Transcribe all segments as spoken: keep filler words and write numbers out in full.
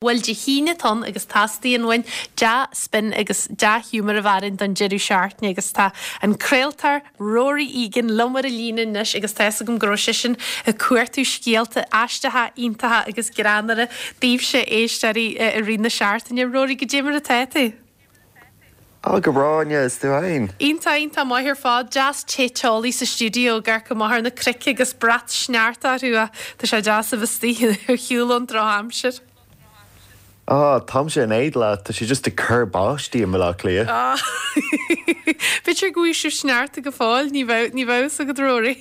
Bhuel, Dé hAoine atá ann agus teastaíonn uainn dea-spin agus dea-ghiúmar a bheith orainn don deireadh seachtaine agus tá an craoltóir Rory Egan liom ar an líne anois agus tá fhios agam go raibh seisean ag cuartú scéalta aisteacha, iontacha agus greannmhara daoibhse éisteoirí i rith na seachtaine. Rory, goidé mar atá tú? Á, go breá, Áine, is tú féin? Iontach, iontach maith ar fad. Deas te teolaí sa stiúideo ag amharc amach ar na cnoic agus brat sneachta orthu ach tá sé deas a bheith istigh ar shiúl ón drochaimsir. Á, táimse in éad leat, tá sé just ag cur báistí i mBaile Átha Cliath. Á, b'fhéidir go bhfaighidh sibh sneachta go fóill, ní bheadh, ní bheadh fhios agat Rory.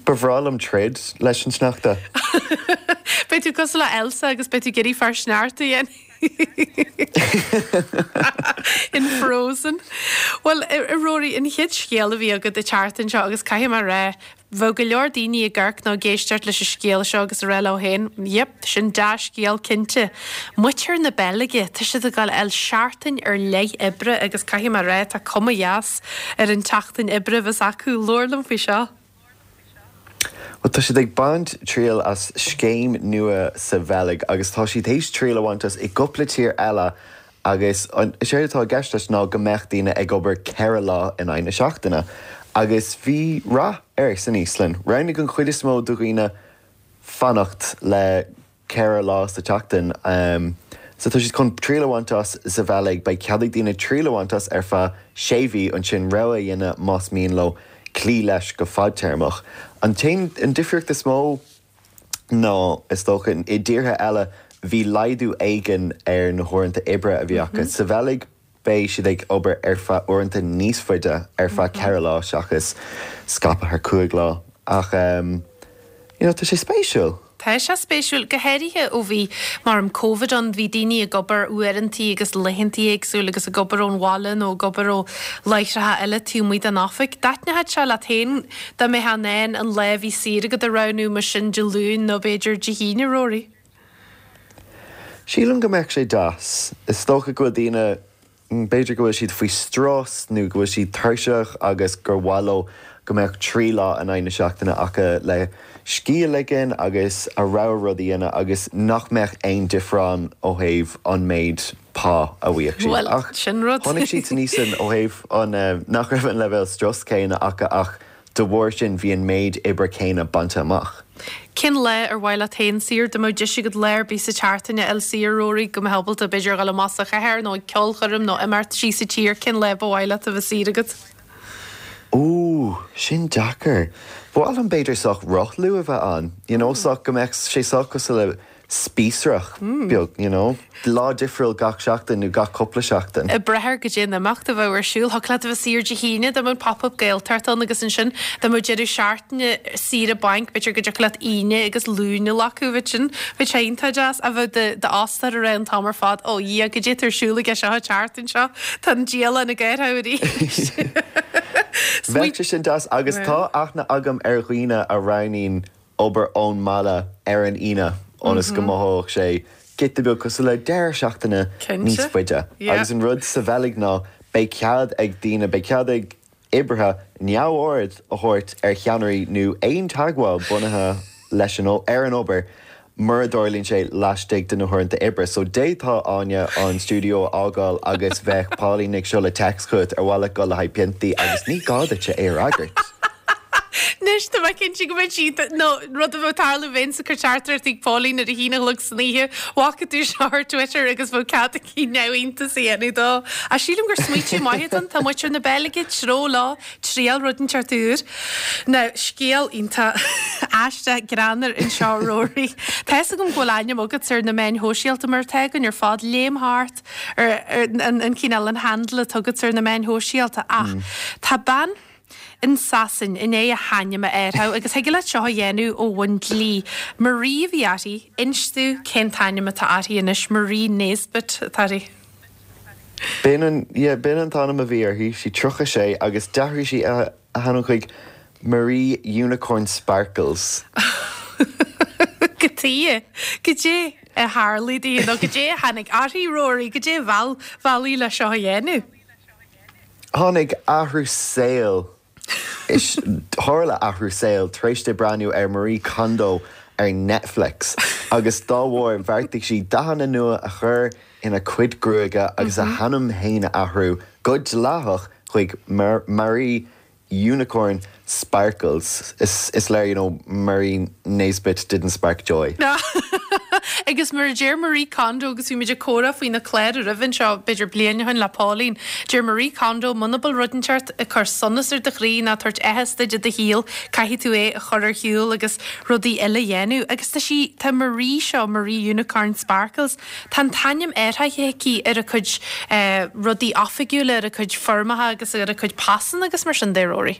Ba bhreá liom troid leis an sneachta. Beidh tú cosúil le Elsa agus beidh tú ag iarraidh fear sneachta a dhéanamh. In Frozen. Bhuel, a Rory, an chéad scéal a bhí agat an tseachtain seo agus caithfidh mé a rá, bheadh go leor daoine ag amharc nó ag éisteacht leis an scéal seo agus ag rá leo féin, yep, sin dea-scéal cinnte. Muintir na Beilge, tá siad ag dul a fháil seachtain ar leith oibre agus caithfidh mé a rá, tá cuma dheas ar an tseachtain oibre a bheas acu. Labhair liom faoi seo. Bhuel, tá siad ag baint triail as scéim nua sa Bheilg agus tá siad théis triail a bhaint as i gcúpla tír eile agus is éard atá i gceist leis ná go mbeadh daoine ag obair ceithre lá in aghaidh na seachtaine. Agus bhí rath air san Íoslainn. Roghnaigh an chuid is mó de dhaoine fanacht le ceithre lá sa tseachtain. So tá siad chun triail a bhaint as sa Bheilg. Beidh cead ag daoine triail a bhaint as ar feadh sé mhí, ansin rogha a dhéanamh más mian leo cloí leis go fadtéarmach. An t-aon, an difríocht is mó ná, is dócha, i dtíortha eile bhí laghdú éigin ar na huaireanta oibre a bhí acu. Sa Bheilg beidh siad ag obair ar feadh uaireanta níos faide, ar feadh ceithre lá seachas scaipthe thar cúig lá. Ach you know, tá sé spéisiúil. Tá sé spéisiúil, go háirithe ó bhí mar an Covid ann, bhí daoine ag obair uaireantaí agus laethantaí éagsúil agus ag obair ón bhaile nó ag obair ó láithreacha eile taobh amuigh den oifig. Dtaitneodh sé leat féin dá mbeifeá in ann an lá a bhí saor agat a roghnú mar sin Dé Luain nó b'fhéidir Dé hAoine, Rory? Sílim go mbeadh sé deas. Is dócha go bhfuil daoine, b'fhéidir go bhfuil siad faoi strus nó go bhfuil siad tuirseach agus gur mhaith leo go mbeadh trí lá in aghaidh na seachtaine acu le scíth a ligean agus a rogha rud a dhéanamh agus nach mbeadh aon difear ann ó thaobh an méid pá a bhfaigheadh siad. Bhuel, Ach sin rud. chonaic siad san Íoslainn ó thaobh an nach raibh an leibhéal strus céanna acu ach de bharr sin bhí an méid oibre céanna bainte amach. Cén lá ar mhaith leat féin saor? Dá mbeadh deis agat lá ar bith sa tseachtain a fháil saor, Rory, go mbeifeá ábalta b'fhéidir a dhul amach sa chathair nó ag ceolchoirm nó imeacht síos sa tír, cén lá ba mhaith leat a bheith saor agat? Ooh, sin deacair. Ba mhaith liom b'fhéidir sách rothlú a bheith ann, you know, sách go mbeadh sé sách cosúil le spíosrach beag, you know, lá difriúil gach seachtain nó gach cúpla seachtain. Ag brath ar goidé an imeacht a bheadh ar siúl. Thiocfadh leat a bheith saor Dé hAoine dá mbeadh Pop-Up Gaeltacht ann agus ansin dá mbeadh deireadh seachtaine saoire bainc, b'fhéidir go dtiocfadh leat Aoine agus Luan a ghlacadh, bheadh sin, bheadh sé iontach deas a bheith d'fhostóir ag rá an t-am ar fad, ó Dhia, goidé atá ar siúl aige seo an tseachtain seo, tá an dialann ag athrú arís. Bheadh sé sin deas agus tá aithne agam ar dhaoine a roghnaíonn obair ón mbaile ar an Aoine ionas go mothódh sé giota beag cosúil le deireadh seachtaine níos Cinnte. faide. Yeah. Agus an rud sa Bheilg ná beidh cead ag daoine, beidh cead ag oibrithe neamhaird a thabhairt ar cheannairí nó aon teagmháil bunaithe leis an ar an obair mura dtarlaíonn sé laistigh de na huaireanta oibre. So d'fhéadfá Áine an stiúideo a fhágáil agus bheadh Pauline ag seoladh text chugat ar mhaith leat dul le haghaidh piontaí agus ní gá duit é a fhreagairt. Anois tá mé cinnte go mbeidh siad nó rud a bheadh ag tarlú bheinn ag cur teachtaireacht ag Pauline ar a haon a chlog san oíche, bhfaca tú seo ar Twitter agus bheadh cead aici neamhiontas a dhéanamh dó. Ach sílim gur smaoitiú maith atá ann, tá muintir na Beilge treo lá triail rud inteacht úr. Now, scéal iontach aisteach greannmhar anseo Rory. Tá fhios agam go bhfuil ainm agat ar na meáin shóisialta mar atá againn ar fad léim thart ar, ar an, an cineál an handle atá agat ar na meáin shóisialta ach tá bean in Sasain i ndiaidh a hainm a athrú agus thig leat seo a dhéanamh ó bhun dlí. Marie a bhí uirthi, inis domh cén t-ainm atá uirthi anois, Marie Nesbitt atá uirthi. B'in an, yeah, b'in an t-ainm a bhí uirthi, sí tríocha sé agus d'athraigh sí a, a hainm chuig Marie Unicorn Sparkles. Cad chuige, goidé a tharla di nó goidé a tháinig uirthi Rory, goidé a mheall mheall í le seo a dhéanamh. Tháinig athrú saoil is tharla athrú saoil tar éis di breathnú ar Marie Kondo ar Netflix. Agus dá bharr bheartaigh sí dathanna nua a chur ina cuid gruaige agus a hainm féin a athrú go dleathach chuig Marie Unicorn Sparkles. Is, is léir you know, Marie Nesbitt didn't spark joy. Agus mar a deir Marie Kondo agus bhí muid ag comhrá faoina clár roimhe seo b'fhéidir bliain ó shin le Pauline. Deir Marie Kondo muna bhfuil rud inteacht ag cur sonas ar do chroí ná tabhairt áthas duit i do shaol caithfidh tú é a chur ar shiúl agus rudaí eile a dhéanamh. Agus tá sí tá Marie seo Marie Unicorn Sparkles. Tá an t-ainm athraithe aici ar a cuid eh, rudaí oifigiúla ar a cuid foirmeacha agus ar a cuid pasanna agus mar sin de Rory.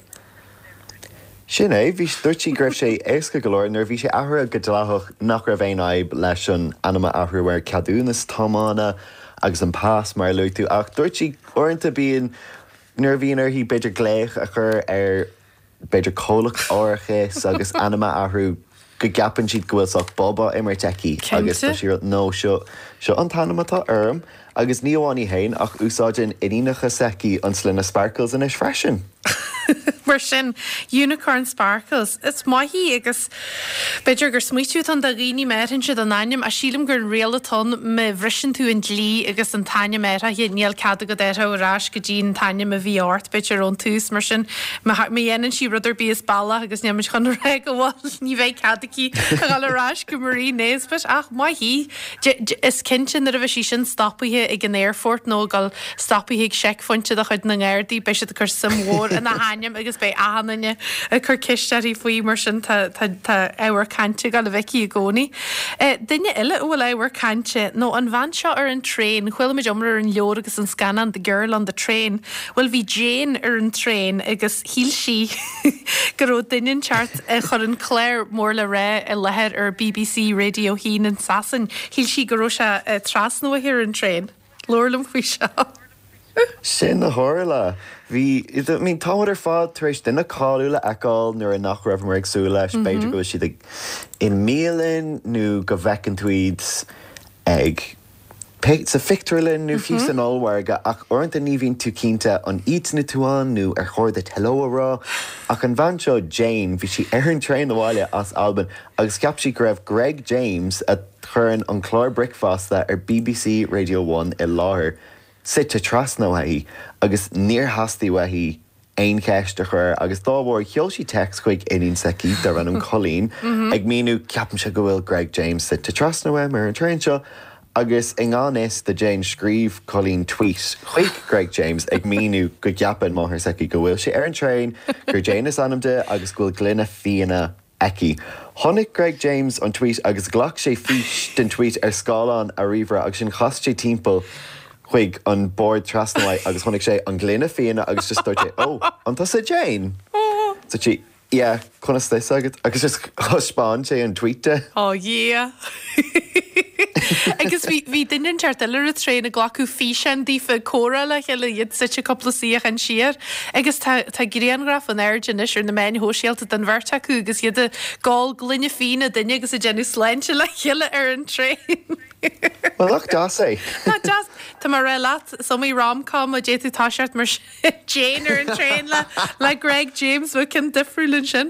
Sin é bhí dúirt sí go raibh sé éasca go leor nuair bhí sé athraithe go dleathach nach raibh aon fhadhb leis an ainm a athrú ar ceadúnas tiomána agus an pas mar a luaigh tú ach dúirt sí uaireanta bíonn nuair a bhíonn uirthi b'fhéidir glaoch a chur ar b'fhéidir comhlacht árachais agus ainm a athrú go gceapann siad go bhfuil sách bob á imirt aici agus tá sí nó seo seo an t-ainm atá orm agus ní amháin í féin ach úsáideann iníonacha s'aici an sloinne Sparkles anois freisin. Mar sin Unicorn Sparkles is maith í agus b'fhéidir gur smaoitiú an do dhaoine méhann siad an ainm a sílim gur an riail atá má bhriseann tú an dlí agus an t-ainm athraithe níl cead agat é ar ais go dtí an t-ainm a bhí ort b'fhéidir ón tús mar sin má dhéanann sí rud ar bith as bealach agus níl muid chun rá go bhfuil ní bheidh cead aici a dhul ar ais go Marie Nesbitt ach maith í is cinnte nuair a bheidh sí sin stopaithe ag an airport nó gal stopaithe ag checkpoint de chuid na nGardaí beidh siad ag cur suim mhór ina hainm agus beidh achan duine ag cur ceist uirthi faoi mar sin tá ábhar cainte ag a bheith i gcónaí. Duine eile a bhfuil ábhar cainte nó an bhean seo ar an traein, chuala muid iomrá ar an leabhar agus an scannán The Girl on the Train, Well bhí Jane ar an traein agus shíl sí go raibh duine inteacht a chuir an clár mór le rá i láthair ar BBC Radio haon in Sasain, Shíl sí go raibh sé trasna uaithi ar an traein. Labhair liom faoi seo. Sin a tharla. Bhí I mean, tá ar fad tar éis duine cáiliúil a fheiceáil nuair a nach raibh ag súil leis b'fhéidir go bhfuil siad ag i mbialann nó go bhfeiceann tú iad ag sa phictiúrlann nó fiú san ollmhargadh ach uaireanta ní bhíonn tú cinnte an aithníonn tú an nó ar chóir duit hello a rá ach an bhean seo Jane bhí sí ar an traein abhaile as Albain agus cheap sí go raibh Greg James a chuireann an clár bricfeasta ar BBC Radio One i láthair suite trasna uaithi agus níor theastaigh uaithi aon cheist a chur agus dá bharr sheol sí text chuig iníon s'aici darb ainm Colleen ag míniú ceapaimse go bhfuil Greg James suite trasna uaim ar an traein seo agus i ngan fhios do Jane scríobh Colleen tweet chuig Greg James ag míniú go gceapann máthair s'aici go bhfuil sé ar an traein gur Jane is ainm di agus go bhfuil gloine fíona aici. Chonaic Greg James an tweet agus ghlac sé fís den tweet ar scáileán a ríomhaire agus ansin chas sé timpeall chuig an bord trasna uaidh agus chonaic sé an gloine fíona agus just dúirt sé ó an tusa Jane. So sí yeah, conas tá agat agus just thaispeáin sé an tweet di. Ó yeah. Agus bhí duine inteacht eile ar an traein ag glacadh físeán díofa comhrá le chéile iad suite cúpla suíochán siar. Agus tá tá grianghraf in airde anois ar na meáin shóisialta den bheirt acu agus iad ag ól gloine fíona duine agus ag déanamh sláinte le chéile ar an traein. Well nach deas é. Tá deas Tá mar rá leat iomaí romcom a d'fhéadfadh toiseacht mar Jane ar an traein le le Greg James bhí ceann difriúil ansin.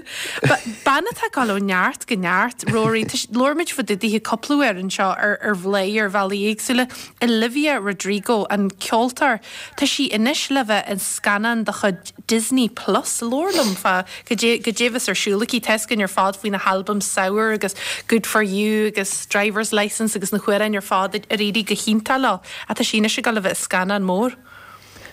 Bean atá ag dul ó neart go neart Rory labhair muid fá dtaobh di cúpla uair anseo ar ar Bhladhaire ar bhealaí éagsúla Olivia Rodrigo an ceoltóir Tá sí anois le bheith i scannán de chuid Disney Plus labhair liom fá cad é a bheas ar siúl aici tá a fhios againn ar fad faoina halbam Sour agus Good for You agus Driver's License agus na hamhráin ar fad ar éirigh go hiontach leo ach tá sí anois ag dul a bheith i scannán mór.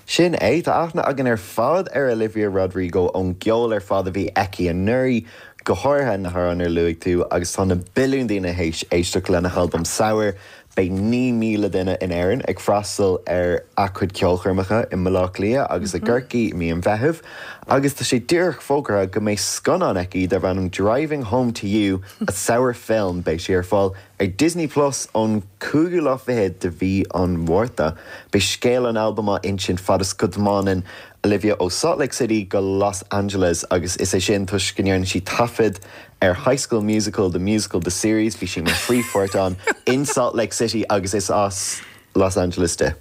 Sin é tá aithne againn ar fad ar Olivia Rodrigo ón gceol ar fad a bhí aici anuraidh go háirithe na hamhráin ar luaigh tú agus tá na billiún daoine théis éisteacht lena halbam Sour Beidh naoi míle duine in Éirinn ag freastal ar a cuid ceolchoirmeacha i mBaile Átha Cliath agus i gCorcaigh mí an Mheithimh, agus tá sé díreach fógartha go mbeidh scannán aici darb ainm Driving Home to You, a Sour Film beidh sé ar fáil ar Disney Plus ón cúigiú lá fichead de mhí an Mhárta. Beidh scéal an albaim á insint fad is go dtiomáineann Olivia ó Salt Lake City go Los Angeles agus is é sin toisc go ndearna sí taifead ar High School Musical, the musical, the series, bhí sí mar phríomhpháirt ann in Salt Lake City agus is as Los Angeles di.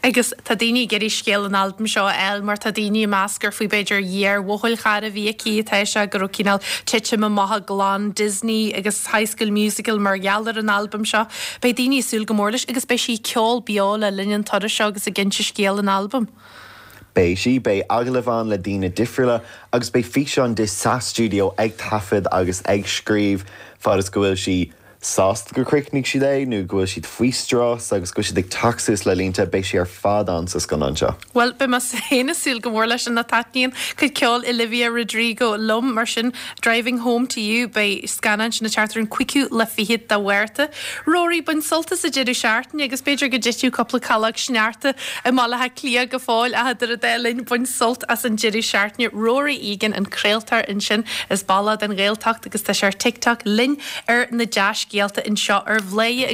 Agus tá daoine ag iarraidh scéal an albaim seo a fháil mar tá daoine ag meas gur faoi b'fhéidir iar-bhuachaill chara a bhí aici atá sé go raibh cineál titim amach i gclann Disney agus High School Musical mar gheall ar an albam seo. Beidh daoine ag súil go mór leis agus beidh sí ag ceol beo le linn an turas seo agus ag inse scéal an albaim. Beidh sí beidh agallaimh ann le daoine difriúla agus beidh físeán di sa studio ag taifead agus ag scríobh fad is go bhfuil sí sásta gur chríochnaigh siad é nó go bhfuil siad faoi strus agus go bhfuil siad ag teacht suas le línte beidh sí ar fad ann sa scannán seo. Well beidh mé féin ag súil go mór leis an taitníonn cuid ceol Olivia Rodrigo liom mar sin Driving Home to You beidh scannán sin ag teacht ar an cúigiú lá fichead de Mhárta. Rory bain sult as an deireadh seachtaine agus b'fhéidir go dtitfidh cúpla calach sneachta i mBaile Átha Cliath go fóill ach idir an dá linn bain sult as an deireadh seachtaine Rory Egan an craoltóir ansin is ball den Ghaeltacht agus tá sé ar TikTok linn ar na dea-scéalta anseo ar Bhladhaire